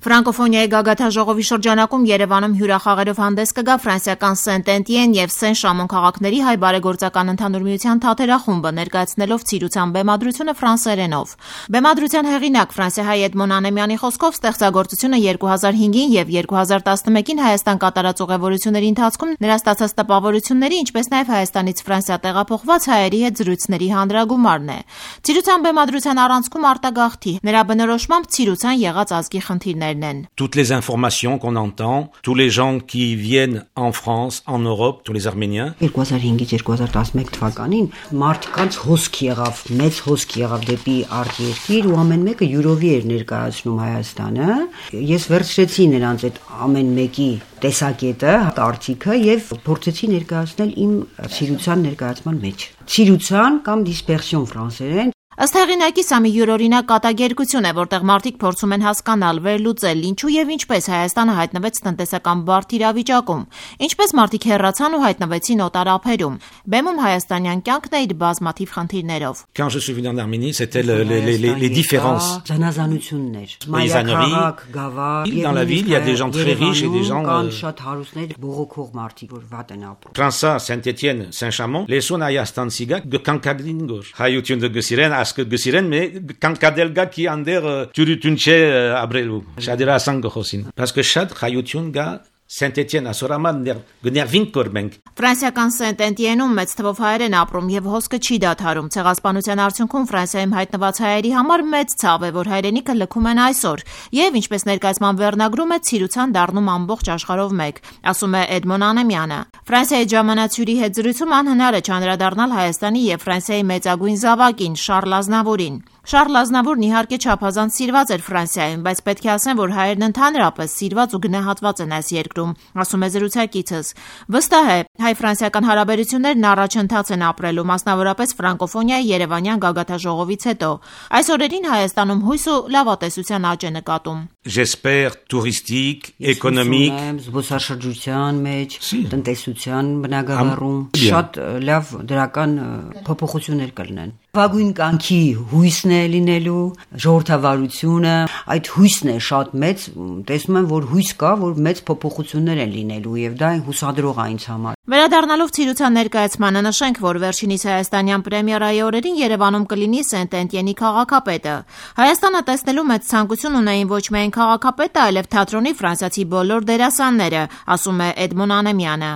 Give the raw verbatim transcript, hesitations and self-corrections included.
Ֆրանկոֆոնիայի գագաթաժողովի շրջանակում Երևանում հյուրախաղերով հանդես կգա ֆրանսիական Սենտ-Էտիեն եւ Սեն-Շամոն քաղաքների հայ բարեգործական ընդհանուր միության թատերախումբը, ներկայացնելով ցիրուցան բեմադրությունը ֆրանսերենով։ Բեմադրության հեղինակ ֆրանսիահայ Էդմոն Անեմյանի խոսքով ստեղծագործությունը երկու հազար հինգին եւ երկու հազար տասնմեկին Հայաստան կատարած ուղևորությունների ընթացքում նրա ստացած տպավորությունների, ինչպես նաեւ Հայաստանից Ֆրանսիա տեղափոխված հայերի հետ զրույցների հանրագումարն է։ Ցիրուցան բեմադրության առանցքում արտագաղթի, նրա բնորոշմամբ ցիրուցան եղած ազգի խնդիրներն են։ Toutes les informations qu'on entend, tous les gens qui viennent en France, en Europe, tous les Arméniens. երկու հազար հինգից երկու հազար տասնմեկ թվականին մարդկանց հոսք եղավ, մեծ հոսք եղավ դեպի արտերկիր ու ամեն մեկը յուրովի էր ներկայացնում Հայաստանը։ Ես վերցրեցի նրանց այդ ամեն մեկի տեսակետը, արտիքը եւ փորձեցի ներկայացնել իմ ցիրուցան ներկայացման մեջ։ Ցիրուցան կամ dispersion ֆրանսերեն։ Ըստ հեղինակի սա մի յուրօրինակ կատակերգություն է, որտեղ մարդիկ փորձում են հասկանալ, վերլուծել, ինչու եւ ինչպես Հայաստանը հայտնվեց տնտեսական բարդ իրավիճակում, ինչպես մարդիկ հեռացան ու հայտնվեցին օտար ափերում։ Բեմում հայաստանյան կյանքն է իր բազմաթիվ խնդիրներով։ Quand je suis venu en Arménie, c'était le, les, les, les, les différences. Զանազանություններ, Մայրաքաղաք, գավառ, dans la ville, il y a des gens très riches et des gens կան շատ հարուստներ, բողոքող մարդիկ, որ վատ են ապրում։ Ֆրանսա, Saint-Étienne, Saint-Chamond, les son Հայաստան սիգակ գկանկադինգոր։ Հայություն դգսիրեն ասկը գսիրեն մե կանկադելգա qui անդեր ճուրություն չէ ապրելու։ Շադիրասան գխոսին։ Parce que շատ հայություն գա Saint-Étienne ասորաման գներվին կորմենք։ Ֆրանսիական Սենտ-Էտիենում մեծ թվով հայեր են ապրում եւ հոսքը չի դադարում։ Ցեղասպանության արդյունքում Ֆրանսիայում հայտնված հայերի համար մեծ ցավ է, որ հայրենիքը լքում են այսօր եւ ինչպես ներկայացման վերնագրում է ցիրուցան դառնում ամբողջ աշխարհով մեկ, ասում է Էդմոն Անեմյանը։ Ֆրանսիայի ժամանացյուրի հետ զրույցում անհնար է չանդրադառնալ Հայաստանի եւ Ֆրանսիայի մեծագույն զավակին Շարլ Ազնավուրին։ Շարլ Ազնավուրն իհարկե չափազանց սիրված էր Ֆրանսիայում, բայց պետք է ասեմ, որ հայերն ընդհանրապես սիրված ու գնահատված են այս երկրում, ասում է զրուցակիցս։ Վստահ է, հայ-ֆրանսիական հարաբերություններն առաջընթաց են ապրելու, մասնավորապես ֆրանկոֆոնիայի Երևանյան գագաթաժողովից հետո։ Այս օրերին Հայաստանում հույս ու լավատեսության աճ է նկատում։ J'espère touristique, économique, զբոսաշրջության մեջ, տնտեսության բնագավառում շատ լավ դրական փոփոխություններ կլինեն։ Վագույն կյանքի հույսն է լինելու, ժողովրդավարությունը, այդ հույսն է շատ մեծ, տեսնում եմ, որ հույս կա, որ մեծ փոփոխություններ են լինելու եւ դա հուսադրող է ինձ համար։ Վերադառնալով ցիրուցան ներկայացմանը նշենք, որ վերջինիս հայաստանյան պրեմիերայի օրերին Երևանում կլինի Սենտ-Էտիենի քաղաքապետը։ Հայաստանը տեսնելու մեծ ցանկություն ունեին ոչ միայն քաղաքապետը, այլև թատրոնի ֆրանսիացի բոլոր դերասանները, ասում է Էդմոն Անեմյանը։